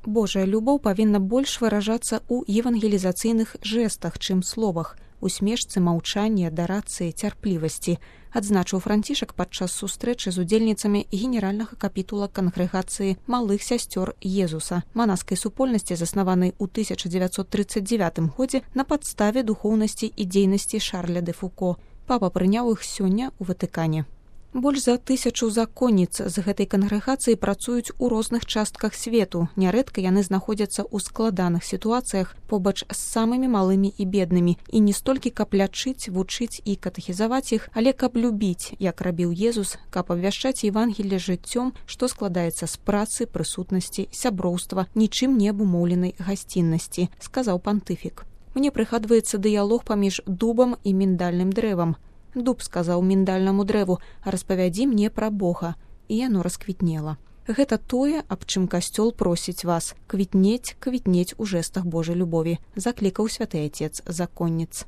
Божая любоў павінна больш выражацца ў евангелізацыйных жэстах, чым словах, усмешцы, маўчанні, адарацыі, цярплівасці, адзначыў Францішак падчас сустрэчы з удзельніцамі генеральнага капітула кангрэгацыі малых сясцёр Езуса, манаскай супольнасці, заснаванай у 1939 годзе на падставе духоўнасці і дзейнасці Шарля де Фуко. Папа прыняў іх сёння ў Ватыкане. Больш за 1000 законніц з гэтай кангрэгацыі працуюць у розных частках свету. Нярэдка яны знаходзяцца ў складаных сітуацыях побач з самымі малымі і беднымі. І не столькі каб лячыць, вучыць і катэхізаваць іх, але каб любіць, як рабіў Езус, каб абвяшчаць Евангелле жыццём, што складаецца з працы, прысутнасці, сяброўства, нічым не абумоўленай гасціннасці, сказаў пантыфік. Мне прыгадваецца дыялог паміж дубам і міндальным дрэвам. Дуб сказаў міндальнаму дрэву: «Распавядзі мне пра Бога», і яно расквітнела. Гэта тое, аб чым касцёл просіць вас: квітнець у жэстах Божай любові, заклікаў святы Айцец законніц.